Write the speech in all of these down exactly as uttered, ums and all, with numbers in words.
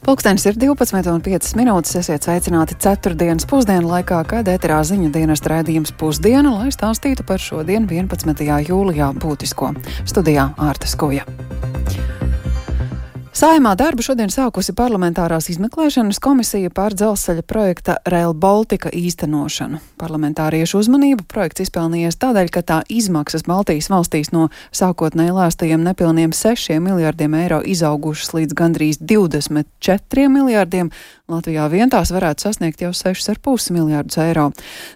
Pulkstenis ir divpadsmit un piecas minūtes, esiet sveicināti ceturtdienas pusdienu laikā, kad ēterā ziņu dienesta raidījums Pusdiena, lai stāstītu par šodien vienpadsmitajā jūlijā būtisko. Studijā Ārta Skuja. Saeimā darbu šodien sākusi parlamentārās izmeklēšanas komisija par dzelzceļa projekta Rail Baltica īstenošanu. Parlamentāriešu uzmanību projekts izpelnījies tādēļ, ka tā izmaksas Baltijas valstīs no sākotnēji lēstajiem nepilniem sešiem miljardiem eiro izaugušas līdz gandrīz divdesmit četriem miljardiem. Latvijā vien tās varētu sasniegt jau sešus ar pus miljardus eiro.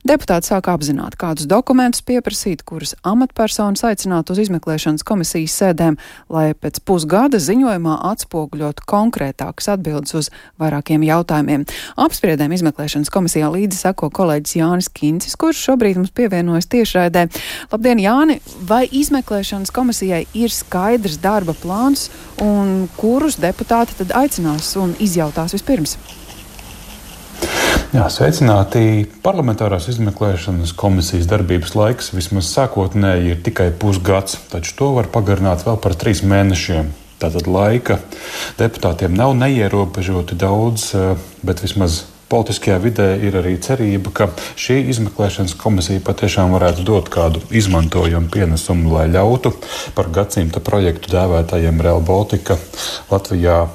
Deputāti sāk apzināt, kādus dokumentus pieprasīt, kurus amatpersonas aicināt uz izmeklēšanas komisijas sēdēm, lai pēc pusgada ziņojumā atspoguļot konkrētākas atbildes uz vairākiem jautājumiem. Apspriedēm izmeklēšanas komisijā līdzi seko kolēģis Jānis Kincis, kurš šobrīd mums pievienojas tiešraidē. Labdien, Jāni! Vai izmeklēšanas komisijai ir skaidrs darba plāns un kurus deputāti tad aicinās un izjautās vispirms? Jā, sveicināti. Parlamentārās izmeklēšanas komisijas darbības laiks vismaz sākotnēji ir tikai pusgads, taču to var pagarināt vēl par trīs mēnešiem. Tātad laika deputātiem nav neierobežoti daudz, bet vismaz politiskajā vidē ir arī cerība, ka šī izmeklēšanas komisija patiešām varētu dot kādu izmantojumu pienesumu, lai ļautu par gadsimta projektu dēvētajiem Rail Baltica Latvijā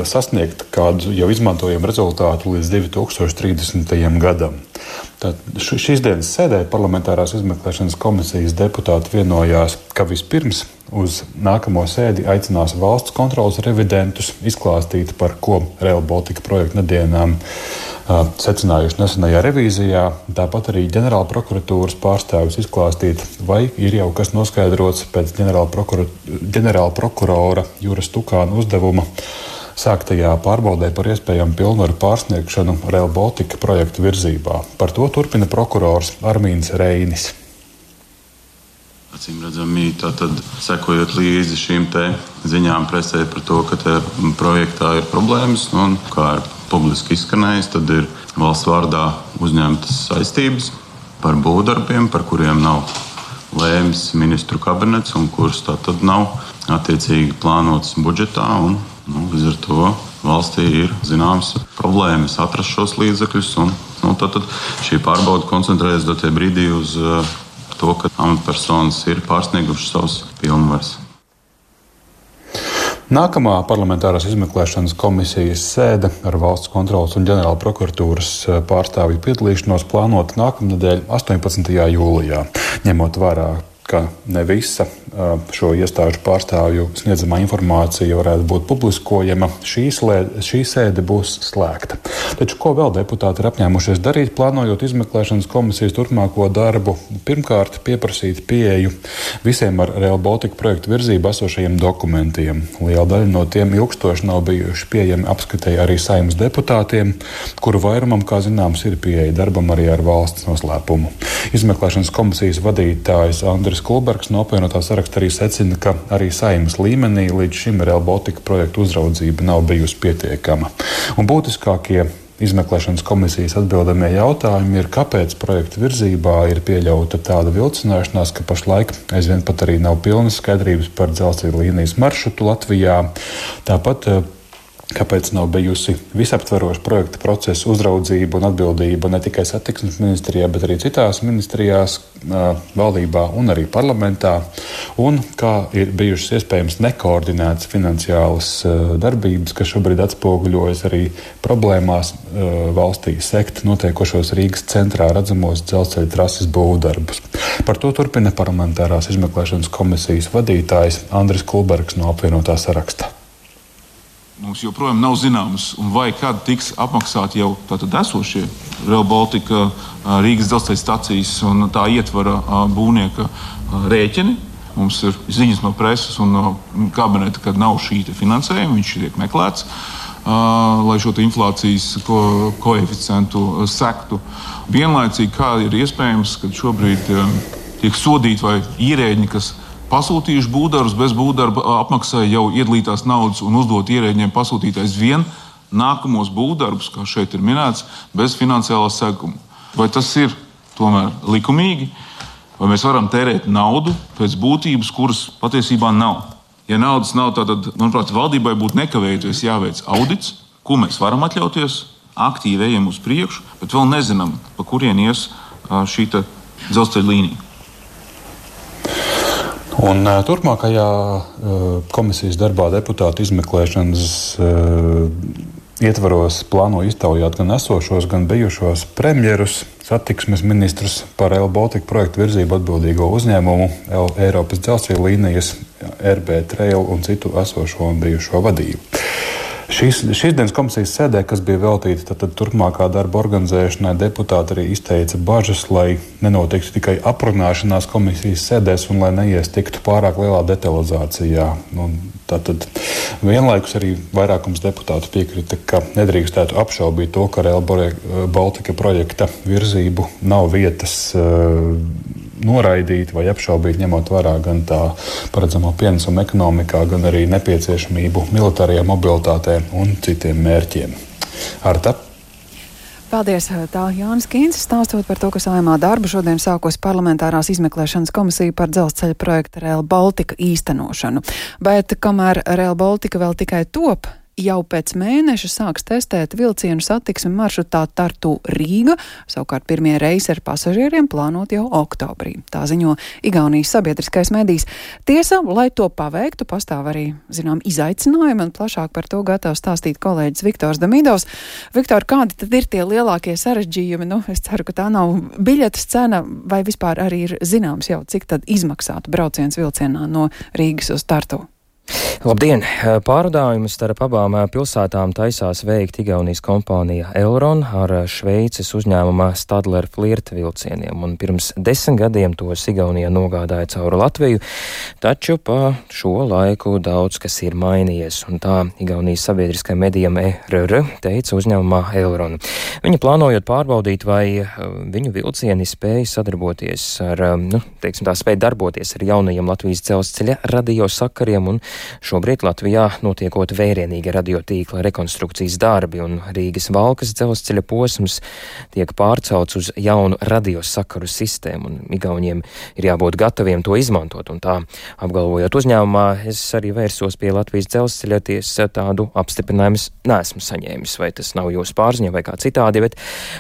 sasniegt kādu jau izmantojumu rezultātu līdz divi tūkstoši trīsdesmitajam gadam. Tad šīs dienas sēdē parlamentārās izmeklēšanas komisijas deputāti vienojās, ka vispirms uz nākamo sēdi aicinās valsts kontroles revidentus izklāstīt, par ko Rail Baltica projekta nedienām uh, secinājuši nesenajā revīzijā. Tāpat arī ģenerāla prokuratūras pārstāvis izklāstīt, vai ir jau kas noskaidrots pēc ģenerāla, prokur... ģenerāla prokurora Juras Tukāna uzdevuma sāktajā pārbaudē par iespējamu pilnvaru pārsniegšanu Rail Baltica projektu virzībā. Par to turpina prokurors Armīns Reinis. Acīm redzami, tātad sekojot līdzi šīm te ziņām presē par to, ka te projektā ir problēmas, un kā ir publiski izskanējis, tad ir valsts vārdā uzņemtas saistības par būvdarbiem, par kuriem nav lēmis ministru kabinets un kurus tātad nav attiecīgi plānotas budžetā. Un, nu, līdz ar to valstī ir zināmas problēmas atrast šos līdzekļus, un nu, tātad šī pārbauda koncentrējas dotie brīdī uz uh, to, ka amatpersonas ir pārsniegušas savas pilnvaras. Nākamā parlamentārās izmeklēšanas komisijas sēde ar valsts kontroles un ģenerāla prokuratūras pārstāvju piedalīšanos plānota nākamnedēļ astoņpadsmitajā jūlijā, ņemot vērā, ka ne visa šo iestāžu pārstāvju sniedzamā informācija varētu būt publiskojama, šī, slē, šī sēde būs slēgta. Taču ko vēl deputāti ir apņēmušies darīt, plānojot izmeklēšanas komisijas turpmāko darbu? Pirmkārt, pieprasīt pieeju visiem ar Rail Baltica projektu virzību esošajiem dokumentiem. Liela daļa no tiem ilgstoši nav bijuši pieejami apskatēji arī Saeimas deputātiem, kuru vairumam, kā zināms, ir pieeja darbam arī ar valsts noslēpumu. Izmeklēšanas komisijas vadītājs Andris Kulbergs no apvienotā saraksta arī secina, ka arī Saeimas līmenī līdz šim Rail Baltica projektu uzraudzība nav bijusi pietiekama. Un būtiskākie izmeklēšanas komisijas atbildamie jautājumi ir, kāpēc projekta virzībā ir pieļauta tāda vilcināšanās, ka pašlaik aizvien pat arī nav pilnas skaidrības par dzelzceļa līnijas maršrutu Latvijā. Tāpat kāpēc nav bijusi visaptveroša projekta procesa uzraudzība un atbildība ne tikai satiksmes ministrijā, bet arī citās ministrijās, valdībā un arī parlamentā, un kā ir bijušas iespējams nekoordinētas finansiālas darbības, kas šobrīd atspoguļojas arī problēmās valstī sekt notiekošos Rīgas centrā redzamos dzelzceļa trases būvdarbus. Par to turpina parlamentārās izmeklēšanas komisijas vadītājs Andris Kulbergs no apvienotā saraksta. Mums joprojām nav zināms, un vai kad tiks apmaksāti jau tātad esošie Rail Baltica Rīgas dzelzceļa stacijas un tā ietvara būvnieka rēķini. Mums ir ziņas no preses un no kabineta, kad nav šī finansējuma, viņš tiek meklēts, lai šo inflācijas ko, koeficientu sektu. Vienlaicīgi, kā ir iespējams, kad šobrīd tiek sodīti vai ierēģi, kas pasūtījuši būvdarbus, bez būvdarba apmaksāja jau iedalītās naudas un uzdot ierēģiem pasūtītais vien nākamos būvdarbus, kā šeit ir minēts, bez finansiālā seguma. Vai tas ir tomēr likumīgi? Vai mēs varam tērēt naudu pēc būtības, kuras patiesībā nav? Ja naudas nav, tad, manuprāt, valdībai būtu nekavējoties jāveic audits, ko mēs varam atļauties, aktīvi ejam uz priekšu, bet vēl nezinām, pa kurien ies šī dzelzceļa līnija. Un turpmākajā komisijas darbā deputātu izmeklēšanas ietvaros plāno iztaujāt gan esošos, gan bijušos premjerus, satiksmes ministrus par Rail Baltica projektu virzību atbildīgo uzņēmumu, Eiropas dzelzceļa līnijas, R B Trail un citu esošo un bijušo vadību. Šīs, šīs dienas komisijas sēdē, kas bija veltīta tad, tad turpmākā darba organizēšanai, deputāti arī izteica bažas, lai nenotiktu tikai aprunāšanās komisijas sēdēs un lai neiestiktu pārāk lielā detalizācijā. Nu, tātad vienlaikus arī vairākums deputātu piekrita, ka nedrīkstētu apšaubīt to, ka Rail Baltica projekta virzību nav vietas uh, noraidīt vai apšaubīt, ņemot vērā gan tā paredzamo pienesumu ekonomikā, gan arī nepieciešamību militārajā mobilitātē un citiem mērķiem. Arta? Paldies, tā Jānis Kīncis stāstot par to, ka Saeimā darbu šodien sākos parlamentārās izmeklēšanas komisija par dzelzceļa projekta Rail Baltica īstenošanu. Bet kamēr Rail Baltica vēl tikai top, jau pēc mēneša sāks testēt vilcienu satiksmi maršrutā Tartu Rīga, savukārt pirmie reisi ar pasažieriem plānot jau oktobrī. Tā ziņo Igaunijas sabiedriskais medijs. Tiesa, lai to paveiktu, pastāv arī, zinām, izaicinājumi, un plašāk par to gatavs stāstīt kolēģis Viktors Damidovs. Viktor, kādi tad ir tie lielākie sarežģījumi? Nu, es ceru, ka tā nav biļetes cena, vai vispār arī ir zināms jau, cik tad izmaksātu brauciens vilcienā no Rīgas uz Tartu? Labdien! Pārvadājumus starp abām pilsētām taisās veikt Igaunijas kompānija Elron ar Šveices uzņēmuma Stadler Flirt vilcieniem, un pirms desmit gadiem tos Igaunijā nogādāja cauri Latviju, taču pa šo laiku daudz kas ir mainījies, un tā Igaunijas sabiedriskai medijam E R R teica uzņēmumā Elron. Viņi plānojot pārbaudīt, vai viņu vilcieni spēja sadarboties ar, nu, teiksim tā, spēja darboties ar jaunajiem Latvijas dzelzceļa radiosakariem, un šobrīd Latvijā notiekot vērienīga radiotīkla rekonstrukcijas darbi, un Rīgas Valkas dzelzceļa posms tiek pārcelts uz jaunu radiosakaru sistēmu, un Igauniem ir jābūt gataviem to izmantot, un tā apgalvojot uzņēmumā, es arī vērsos pie Latvijas dzelzceļa, tiesa tādu apstiprinājumus neesmu saņēmis, vai tas nav jūsu pārziņā vai kā citādi, bet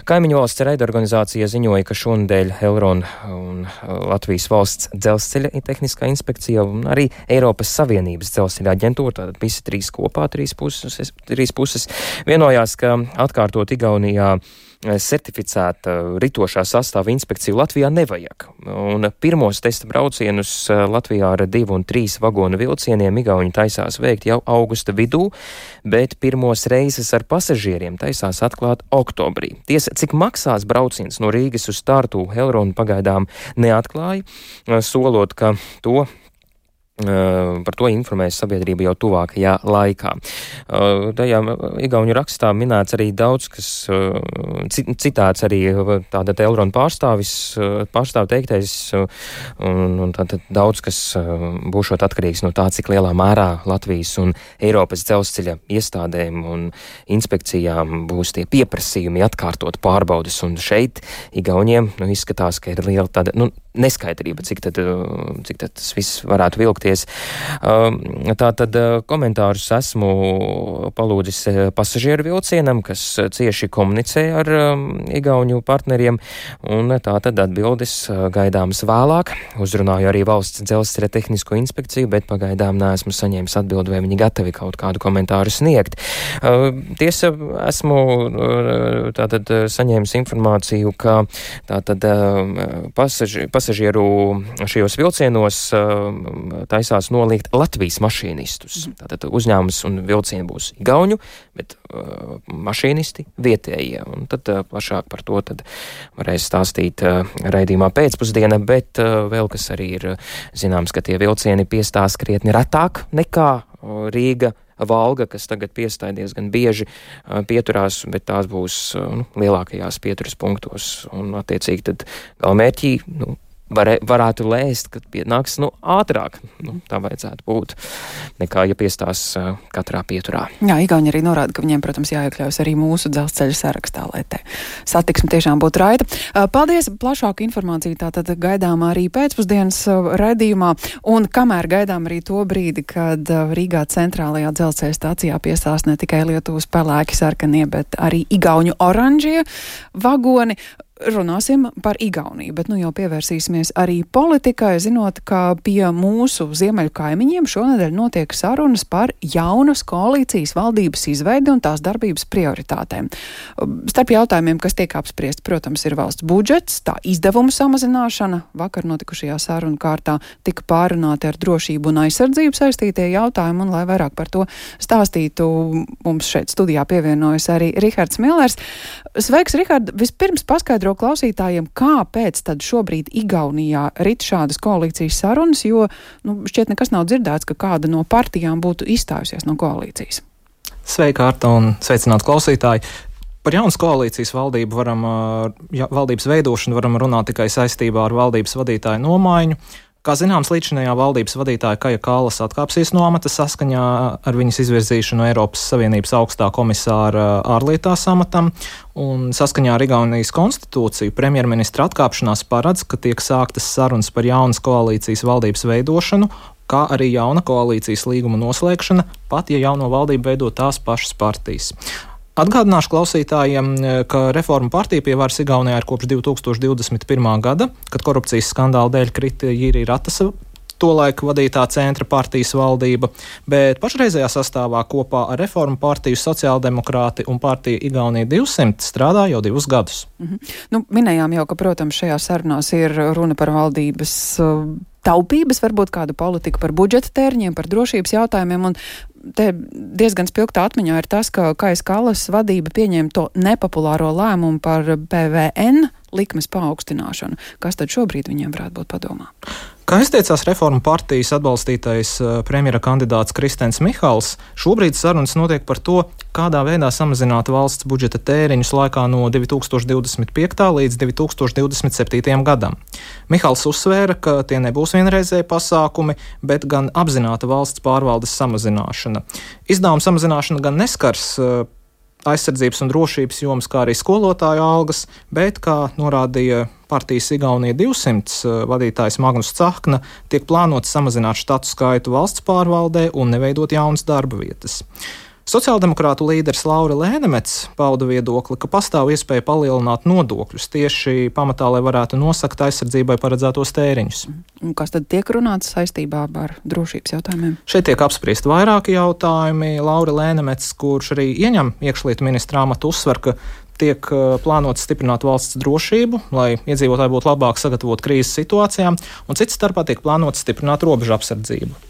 kaimiņu valsts raidorganizācija ziņoja, ka šonedēļ Elron un Latvijas valsts dzelzceļa tehniskā inspekcija un arī Eiropas Savienības dzelzceļa aģentūra, tātad visi trīs kopā, trīs puses, trīs puses vienojās, ka atkārtot Igaunijā certificēta ritošā sastāva inspekciju Latvijā nevajag. Un pirmos testa braucienus Latvijā ar divu un trīs vagonu vilcieniem Igauni taisās veikt jau augusta vidū, bet pirmos reizes ar pasažieriem taisās atklāt oktobrī. Tiesa, cik maksās brauciens no Rīgas uz Tartu, Elron pagaidām neatklāja, solot, ka to par to informēs sabiedrība jau tuvākajā laikā. Tajā Igauņu rakstā minēts arī daudz, kas citāts arī tātad Elron pārstāvis, pārstāv teiktais, un, un tātad daudz, kas būšot atkarīgs no tā, cik lielā mērā Latvijas un Eiropas dzelzceļa iestādēm un inspekcijām būs tie pieprasījumi atkārtot pārbaudes, un šeit Igauņiem, nu, izskatās, ka ir liela tāda, nu, neskaidrība, cik tad, cik tad tas viss varētu vilkties. Tā tad komentārus esmu palūdzis pasažieru vilcienam, kas cieši komunicē ar Igauņu partneriem, un tā tad atbildes gaidāmas vēlāk. Uzrunāju arī valsts dzelzceļa tehnisko inspekciju, bet pagaidām neesmu saņēmis atbildi, vai viņi gatavi kaut kādu komentāru sniegt. Tiesa, esmu tātad saņēmis informāciju, ka tātad pasaži, pasažieru šajos vilcienos taisās noliegt Latvijas mašīnistus. Tātad uzņēmums un vilcieni būs Igauņu, bet uh, mašīnisti vietējie. Un tad uh, plašāk par to tad varēs stāstīt uh, raidījumā pēcpusdiena, bet uh, vēl kas arī ir zināms, ka tie vilcieni piestās krietni retāk nekā uh, Rīga, Valga, kas tagad piestāja diezgan bieži uh, pieturās, bet tās būs uh, nu, lielākajās pieturas punktos. Un attiecīgi tad galamērķī, nu, var, varētu lēst, ka pienāks nu, ātrāk. Nu, tā vajadzētu būt, nekā ja piestās uh, katrā pieturā. Jā, Igauni arī norāda, ka viņiem, protams, jāiekļaujas arī mūsu dzelzceļa sarakstā, lai te satiksme tiešām būtu raita. Uh, paldies! Plašāku informāciju tātad gaidām arī pēcpusdienas uh, raidījumā, un kamēr gaidām arī to brīdi, kad uh, Rīgā centrālajā dzelzceļa stācijā piestās ne tikai Lietuvas pelēki sarkanie, bet arī igauņu oranžie vagoni. Runāsim par Igauniju, bet nu jau pievērsīsimies arī politikai, zinot, ka pie mūsu ziemeļu kaimiņiem šonedēļ notiek sarunas par jaunas koalīcijas valdības izveidi un tās darbības prioritātēm. Starp jautājumiem, kas tiek apspriesti, protams, ir valsts budžets, tā izdevumu samazināšana. Vakar notikušajā sarunu kārtā tika pārunāti ar drošību un aizsardzību saistītie jautājumi, un lai vairāk par to stāstītu, mums šeit studijā pievienojas arī Rihards Millers. Sveiks, Rihard! Vispirms paskaidro klausītājiem, kāpēc tad šobrīd Igaunijā rit šādas koalīcijas sarunas, jo nu, šķiet nekas nav dzirdēts, ka kāda no partijām būtu izstājusies no koalīcijas. Sveika, Arta, un sveicināt klausītāji! Par jaunas koalīcijas valdību varam, ja, valdības veidošanu varam runāt tikai saistībā ar valdības vadītāju nomaiņu. Kā zināms, līdzinājā valdības vadītāja Kaja Kallas atkāpsies no amata saskaņā ar viņas izvirzīšanu Eiropas Savienības augstā komisāra ārlietās amatam, un saskaņā ar Igaunijas konstitūciju premjerministra atkāpšanās paredz, ka tiek sāktas sarunas par jaunas koalīcijas valdības veidošanu, kā arī jauna koalīcijas līguma noslēgšana, pat ja jauno valdību veido tās pašas partijas. Atgādināšu klausītājiem, ka Reformu partija pie varas Igaunijā ir kopš divi tūkstoši divdesmit pirmā gada, kad korupcijas skandāla dēļ krita Jiri Ratasa tolaik vadītā centra partijas valdība, bet pašreizējā sastāvā kopā ar Reformu partiju sociāldemokrāti un partija Igaunija divsimt strādā jau divus gadus. Mhm. Nu, minējām jau, ka, protams, šajā sarunās ir runa par valdības uh, taupības, varbūt kādu politiku par budžeta tēriņiem, par drošības jautājumiem, un te diezgan spilgtā atmiņā ir tas, ka Kajas Kallas vadība pieņēma to nepopulāro lēmumu par P V N likmes paaugstināšanu. Kas tad šobrīd viņiem varētu būt padomā? Kā izteicās Reformu partijas atbalstītais premjera kandidāts Kristens Mihals, šobrīd sarunas notiek par to, kādā veidā samazināt valsts budžeta tēriņus laikā no divi tūkstoši divdesmit piekta līdz divi tūkstoši divdesmit septītajam gadam. Mihals uzsvēra, ka tie nebūs vienreizēji pasākumi, bet gan apzināta valsts pārvaldes samazināšana. Izdevuma samazināšana gan neskars aizsardzības un drošības jomas, kā arī skolotāju algas, bet, kā norādīja partijas Igaunija divsimt vadītājs Magnus Cahkna, tiek plānots samazināt štatu skaitu valsts pārvaldē un neveidot jaunas darba vietas. Sociāldemokrātu līderis Laura Lēnemets pauda viedokli, ka pastāv iespēja palielināt nodokļus tieši pamatā, lai varētu nosakt aizsardzībai paredzētos tēriņus. Un kas tad tiek runāts saistībā ar drošības jautājumiem? Šeit tiek apspriest vairāki jautājumi. Laura Lēnemets, kurš arī ieņem iekšlietu ministra amatu, uzsver, ka tiek plānots stiprināt valsts drošību, lai iedzīvotāji būtu labāk sagatavot krīzes situācijām, un cits starpā tiek plānots stiprināt robežu apsardzību.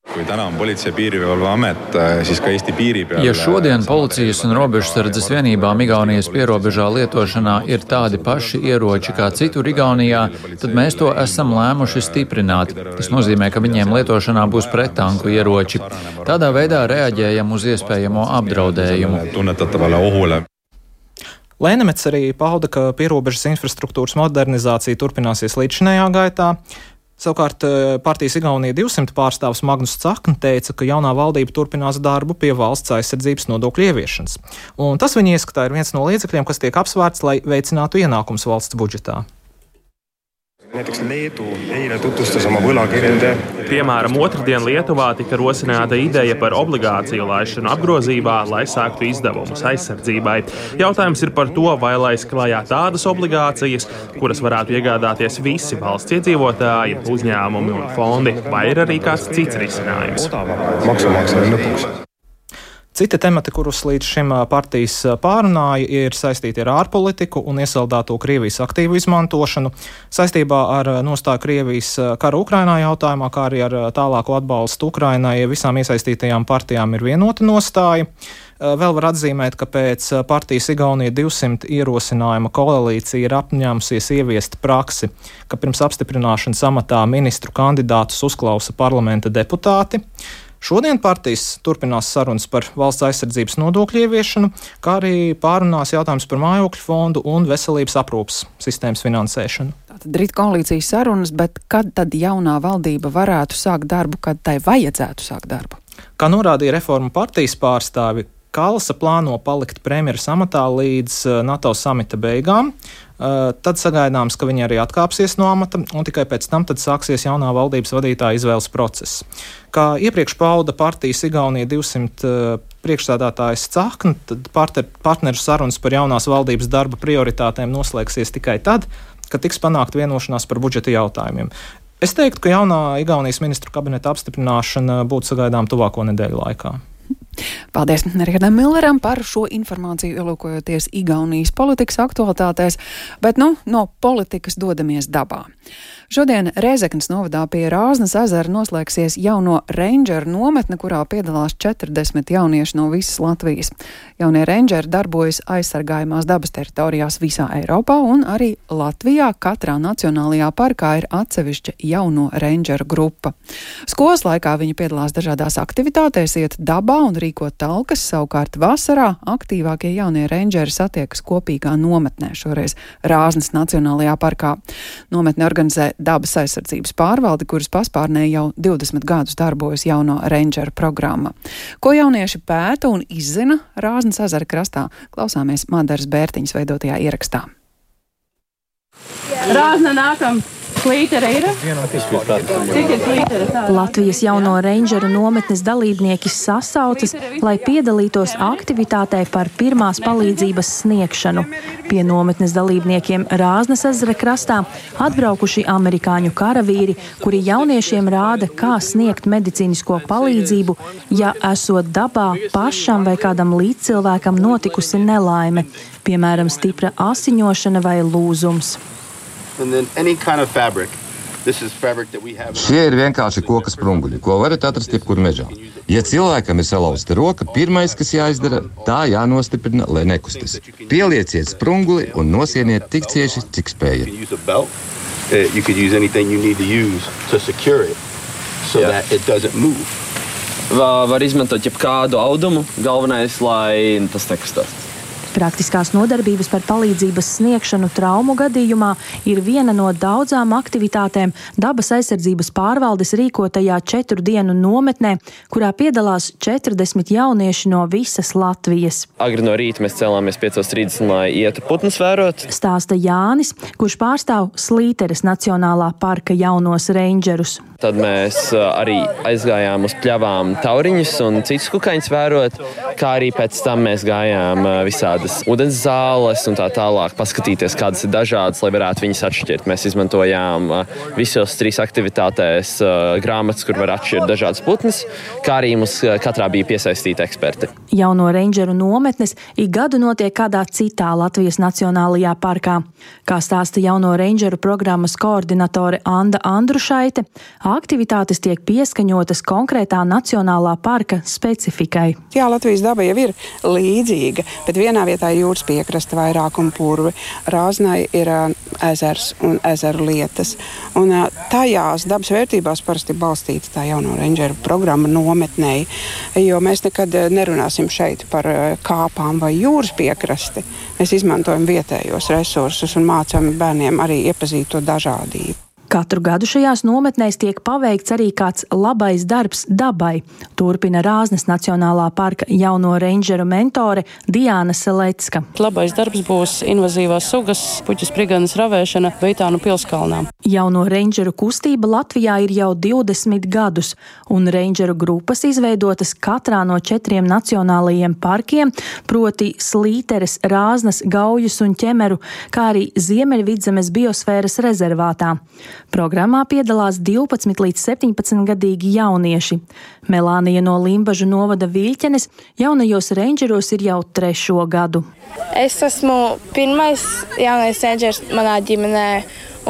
Kui täna on Politsei- ja Piirivalveamet, siis ka Eesti piiri peal... Ja šodien policijas un robežsardzes vienībām Igaunijas pierobežā lietošanā ir tādi paši ieroči kā citur Igaunijā, tad mēs to esam lēmuši stiprināt. Tas nozīmē, ka viņiem lietošanā būs prettanku ieroči. Tādā veidā reaģējam uz iespējamo apdraudējumu. Tunnetatavale ohule. Lēnemets arī pauda, ka pierobežas infrastruktūras modernizācija turpināsies līdzinējā gaitā. Savukārt partijas Igaunija divsimt pārstāvs Magnus Cahkna teica, ka jaunā valdība turpinās darbu pie valsts aizsardzības nodokļu ieviešanas. Un tas viņa ieskatā ir viens no līdzekļiem, kas tiek apsvērts, lai veicinātu ienākums valsts budžetā. Näiteks Leedu eile tutvustas oma võlakirjade. Piemēram, otrdien Lietuvā tika rosināta ideja par obligāciju laišanu apgrozībā, lai sāktu izdevumus aizsardzībai. Jautājums ir par to, vai laist klajā tādas obligācijas, kuras varētu iegādāties visi valsts iedzīvotāji, uzņēmumi un fondi, vai ir arī kāds cits risinājums. Maksumaksājiem lõpuks. Citi temati, kurus līdz šim partijas pārunāja, ir saistīti ar ārpolitiku un iesaldēto Krievijas aktīvu izmantošanu, saistībā ar nostāju Krievijas kara Ukrainā jautājumā, kā arī ar tālāko atbalstu Ukrainai visām iesaistītajām partijām ir vienota nostāja. Vēl var atzīmēt, ka pēc partijas Igaunija divsimt ierosinājuma koalīcija ir apņēmusies ieviest praksi, ka pirms apstiprināšanas amatā ministru kandidātus uzklausa parlamenta deputāti. Šodien partijas turpinās sarunas par valsts aizsardzības nodokļu ieviešanu, kā arī pārunās jautājums par mājokļu fondu un veselības aprūpes sistēmas finansēšanu. tātad rīt koalīcijas sarunas, bet kad tad jaunā valdība varētu sākt darbu, kad tai vajadzētu sākt darbu? Kā norādīja Reformu partijas pārstāvi, Kalsa plāno palikt premjeras amatā līdz NATO samita beigām. Tad sagaidāms, ka viņi arī atkāpsies no amata, un tikai pēc tam tad sāksies jaunā valdības vadītāja izvēles process. Kā iepriekš pauda partijas Igaunija divsimt priekšsēdētājs Cahkna, tad partner, partneru sarunas par jaunās valdības darba prioritātēm noslēgsies tikai tad, kad tiks panākt vienošanās par budžeta jautājumiem. Es teiktu, ka jaunā Igaunijas ministru kabineta apstiprināšana būtu sagaidām tuvāko nedēļu laikā. Paldies Rihardam Milleram par šo informāciju, ielūkojoties Igaunijas politikas aktualitātēs, bet nu no politikas dodamies dabā. Šodien Rēzeknes novadā pie Rāznas ezera noslēgsies jauno Rangeru nometne, kurā piedalās četrdesmit jaunieši no visas Latvijas. Jaunie Rangeri darbojas aizsargājumās dabas teritorijās visā Eiropā, un arī Latvijā katrā nacionālajā parkā ir atsevišķa jauno Rangeru grupa. Skolas laikā viņi piedalās dažādās aktivitātēs, iet dabā un rīko talkas, savukārt vasarā aktīvākie jaunie Rangeri satiekas kopīgā nometnē, šoreiz Rāznas Nacionālajā parkā. Nometne organizē dabas aizsardzības pārvaldi, kuras paspārnē jau divdesmit gadus darbojas jauno Rangeru programma. Ko jaunieši pēta un izzina Rāznas ezera krastā, klausāmies Madaras Bērtiņas veidotajā ierakstā. Rāzna nākam! Slītere ir? Cik ir slītere? Latvijas jauno Rangeru nometnes dalībnieki sasaucas, lai piedalītos aktivitātē par pirmās palīdzības sniegšanu. Pie nometnes dalībniekiem Rāznas ezera krastā atbraukuši amerikāņu karavīri, kuri jauniešiem rāda, kā sniegt medicīnisko palīdzību, ja esot dabā pašam vai kādam līdzcilvēkam notikusi nelaime, piemēram, stipra asiņošana vai lūzums. Šie ir vienkārši koka sprunguļi, ko varat atrast jebkur mežā. Ja cilvēkam ir salauzta roka, pirmais, kas jāizdara, tā jānostiprina, lai nekustas. Pielieciet sprunguli un nosieniet tik cieši, cik spējat. Var izmantot jebkādu audumu, galvenais, lai tas nekustās. Praktiskās nodarbības par palīdzības sniegšanu traumu gadījumā ir viena no daudzām aktivitātēm dabas aizsardzības pārvaldes rīkotajā četru dienu nometnē, kurā piedalās četrdesmit jaunieši no visas Latvijas. Agri no rīta mēs cēlāmies piecos trīsdesmit, lai ietu putnus vērot. Stāsta Jānis, kurš pārstāv Slīteres Nacionālā parka jaunos Rangerus. Tad mēs arī aizgājām uz pļavām tauriņus un citus kukaiņus vērot, kā arī pēc tam mēs gājām visādas ūdens zāles un tā tālāk, paskatīties, kādas ir dažādas, lai varētu viņas atšķirt. Mēs izmantojām visos trīs aktivitātēs grāmatas, kur var atšķirt dažādas putnes, kā arī mums katrā bija piesaistīti eksperti. Jauno Rangeru nometnes ik gadu notiek kādā citā Latvijas Nacionālajā parkā. Kā stāsta jauno Rangeru programmas koordinatore Anda Andrušaite, aktivitātes tiek pieskaņotas konkrētā nacionālā parka specifikai. Jā, Latvijas daba jau ir līdzīga, bet vienā vietā ir jūras piekrasta vairāk un purvi. Rāznai ir ezers un ezeru lietas. Un tajās dabas vērtībās parasti balstīta tā jauno Rangeru programma nometnei, jo mēs nekad nerunāsim šeit par kāpām vai jūras piekrasti. Mēs izmantojam vietējos resursus un mācām bērniem arī iepazīt to dažādību. Katru gadu šajās nometnēs tiek paveikts arī kāds labais darbs dabai, turpina Rāznas Nacionālā parka jauno Rangeru mentore Diāna Selecka. Labais darbs būs invazīvās sugas, puķu spriganas ravēšana Veitānu pilskalnā. Jauno Rangeru kustība Latvijā ir jau divdesmit gadus, un Rangeru grupas izveidotas katrā no četriem nacionālajiem parkiem, proti Slīteres, Rāznas, Gaujas un Ķemeru, kā arī Ziemeļvidzemes biosfēras rezervātā. Programmā piedalās divpadsmit līdz septiņpadsmit gadīgi jaunieši. Melānija no Limbažu novada Viļķenes jaunajos Rangeros ir jau trešo gadu. Es esmu pirmais jaunais Rangers manā ģimenē,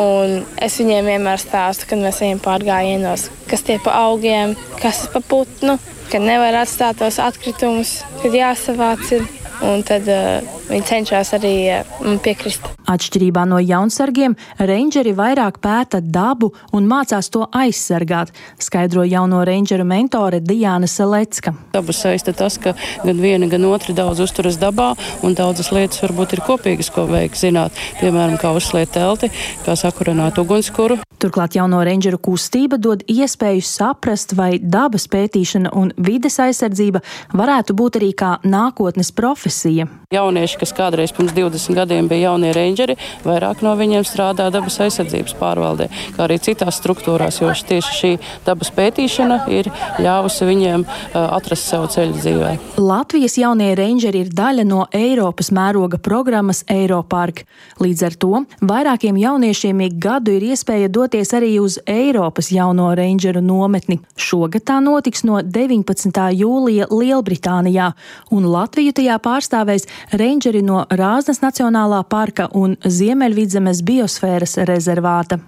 un es viņiem vienmēr stāstu, kad mēs ejam pārgājienos, kas tie pa augiem, kas pa putnu, kad nevar atstāt tos atkritumus, kad jāsavāc ir. un tad uh, viņi cenšas arī uh, piekrist. Atšķirībā no jaunsargiem, reindžeri vairāk pēta dabu un mācās to aizsargāt, skaidro jauno reindžeru mentore Diāna Selecka. Dabu saista tas, ka gan viena, gan otra daudz uzturas dabā, un daudzas lietas varbūt ir kopīgas, ko vajag zināt. Piemēram, kā uzsliet telti, kā sakurināt ugunskura. Turklāt jauno reindžeru kustība dod iespēju saprast, vai dabas pētīšana un vides aizsardzība varētu būt arī kā nākotnes profesija. Jaunieši, kas kādreiz pirms divdesmit gadiem bija jaunie reindžeri, vairāk no viņiem strādā dabas aizsardzības pārvaldē, kā arī citās struktūrās, jo tieši šī dabas pētīšana ir ļāvusi viņiem uh, atrast savu ceļu dzīvē. Latvijas jaunie reindžeri ir daļa no Eiropas mēroga programmas Eiropark. Līdz ar to vairākiem jauniešiem ik gadu ir iespēja doties arī uz Eiropas jauno reindžeru nometni. Šogad tā notiks no deviņpadsmitā jūlija Lielbritānijā, un Latviju tajā pārstāvēs reindžeri no Rāznas Nacionālā parka un Ziemeļvidzemes biosfēras rezervāta.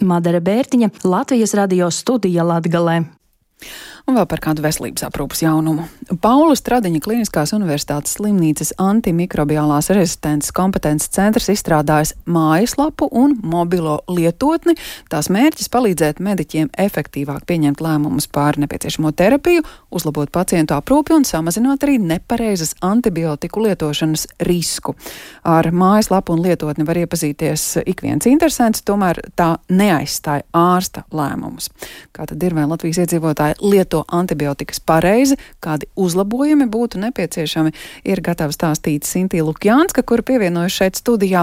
Madara Bērtiņa, Latvijas radio studija Latgalē. Un vēl par kādu veselības aprūpas jaunumu. Paula Stradiņa Kliniskās universitātes slimnīcas antimikrobiālās rezistences kompetences centrs izstrādājis mājaslapu un mobilo lietotni. Tās mērķis palīdzēt mediķiem efektīvāk pieņemt lēmumus par nepieciešamo terapiju, uzlabot pacientu aprūpi un samazināt arī nepareizas antibiotiku lietošanas risku. Ar mājaslapu un lietotni var iepazīties ik viens interesants, tomēr tā neaizstāja ārsta lēmumus. Kā tad ir, vai Latvijas iedzīvotāji lieto antibiotikas pareizi, kādi uzlabojumi būtu nepieciešami, ir gatava stāstīt Sintī Lukjānska, kura pievienojas šeit studijā.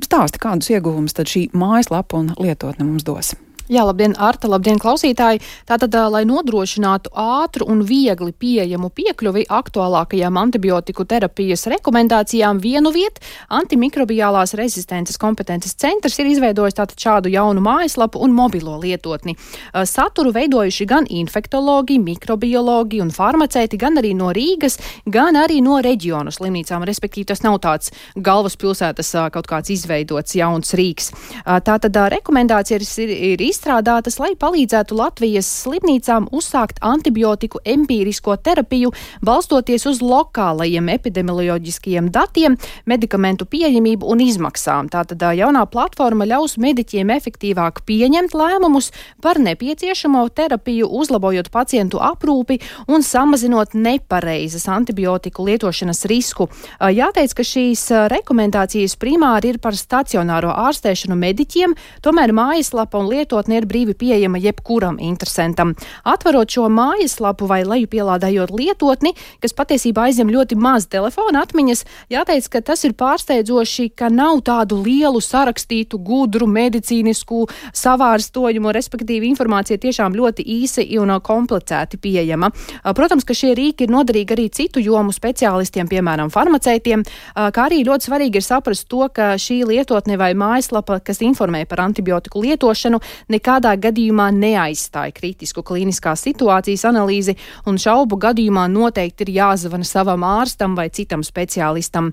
Stāsti, kādus ieguvumus tad šī mājaslapa un lietotne mums dos? Jā, labdien, Arta, labdien, klausītāji! Tātad, lai nodrošinātu ātru un viegli pieejamu piekļuvi aktuālākajām antibiotiku terapijas rekomendācijām vienu vietu, antimikrobiālās rezistences kompetences centrs ir izveidojis tātad šādu jaunu mājaslapu un mobilo lietotni. Saturu veidojuši gan infektologi, mikrobiologi un farmaceiti, gan arī no Rīgas, gan arī no reģionu slimnīcām, respektīvi tas nav tāds galvaspilsētas kaut kāds izveidots jauns Rīgs. Tātad rekomendācijas ir, ir izstrādātas, lai palīdzētu Latvijas slimnīcām uzsākt antibiotiku empīrisko terapiju, balstoties uz lokālajiem epidemioloģiskajiem datiem, medikamentu pieejamību un izmaksām. Tātad jaunā platforma ļaus mediķiem efektīvāk pieņemt lēmumus par nepieciešamo terapiju, uzlabojot pacientu aprūpi un samazinot nepareizas antibiotiku lietošanas risku. Jāteic, ka šīs rekomendācijas primāri ir par stacionāro ārstēšanu mediķiem, tomēr mājaslapa un lietot ir brīvi pieejama jebkuram interesantam. Atverot šo mājaslapu vai lejupielādējot lietotni, kas patiesībā aizņem ļoti maz telefona atmiņas, jāteic, ka tas ir pārsteidzoši, ka nav tādu lielu sarakstītu, gudru, medicīnisku savārstojumu, respektīvi informācija tiešām ļoti īsi un komplicēti pieejama. Protams, ka šie rīki ir noderīgi arī citu jomu speciālistiem, piemēram, farmaceitiem, kā arī ļoti svarīgi ir saprast to, ka šī lietotne vai mājaslapa, kas informē par antibiotiku lietošanu, nekādā gadījumā neaizstāja kritisku klīniskās situācijas analīzi, un šaubu gadījumā noteikti ir jāzvana savam ārstam vai citam speciālistam.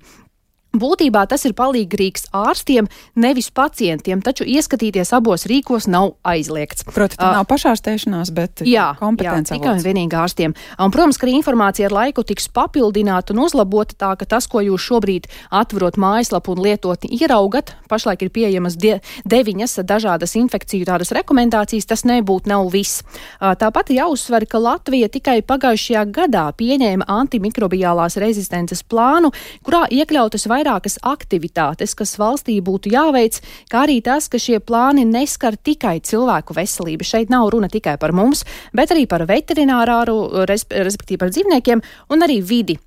Būtībā tas ir palīgrīgs ārstiem, nevis pacientiem, taču ieskatīties abos rīkos nav aizliegts. Protams, tā nav pašārstēšanās, bet jā, kompetence jā, tikai un vienīgi ārstiem. Un, protams, ka arī informācija ar laiku tiks papildināta un uzlabota tā, ka tas, ko jūs šobrīd atverot mājaslapu un lietotni ieraugat, pašlaik ir pieejamas de, deviņas dažādas infekciju tādas rekomendācijas, tas nebūtu nav viss. Tāpat jāuzsver, ka Latvija tikai pagājušajā gadā pieņēma antimikrobiālās rezistences plānu, kurā iekļautas vai vairākas aktivitātes, kas valstī būtu jāveic, kā arī tas, ka šie plāni neskar tikai cilvēku veselību. Šeit nav runa tikai par mums, bet arī par veterinārāru, respektīvi par dzīvniekiem un arī vidi.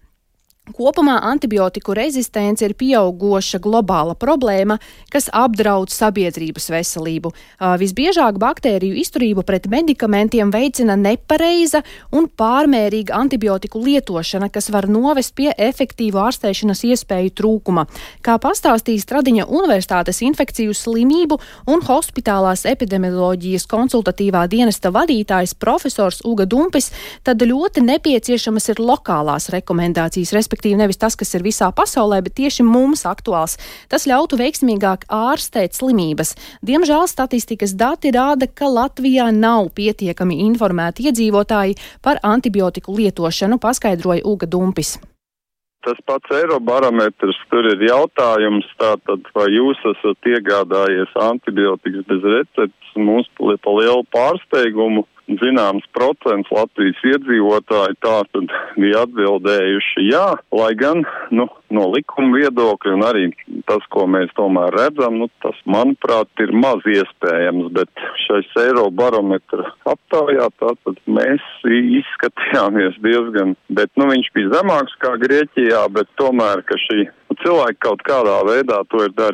Kopumā antibiotiku rezistence ir pieaugoša globāla problēma, kas apdraud sabiedrības veselību. Visbiežāk baktēriju izturību pret medikamentiem veicina nepareiza un pārmērīga antibiotiku lietošana, kas var novest pie efektīvu ārstēšanas iespēju trūkuma. Kā pastāstīja Stradiņa Universitātes infekciju slimību un hospitālās epidemioloģijas konsultatīvā dienesta vadītājs profesors Uga Dumpis, tad ļoti nepieciešamas ir lokālās rekomendācijas, respektīvi nevis tas, kas ir visā pasaulē, bet tieši mums aktuāls. Tas ļautu veiksmīgāk ārstēt slimības. Diemžēl statistikas dati rāda, ka Latvijā nav pietiekami informēti iedzīvotāji par antibiotiku lietošanu, paskaidroja Uga Dumpis. Tas pats Eirobarometrs, tur ir jautājums, tātad, vai jūs esat iegādājies antibiotikas bez receptes, mums pa lielu pārsteigumu. Zināms procents Latvijas iedzīvotāji tātad bija atbildējuši jā, lai gan, nu, no likuma viedokļa un arī tas, ko mēs tomēr redzam, nu, tas, manuprāt, ir maz iespējams, bet šais Eirobarometra aptaujā tātad mēs izskatījāmies diezgan, bet, nu, viņš bija zemāks kā Grieķijā, bet tomēr, ka šī cilvēki kaut kādā veidā to ir darījuši.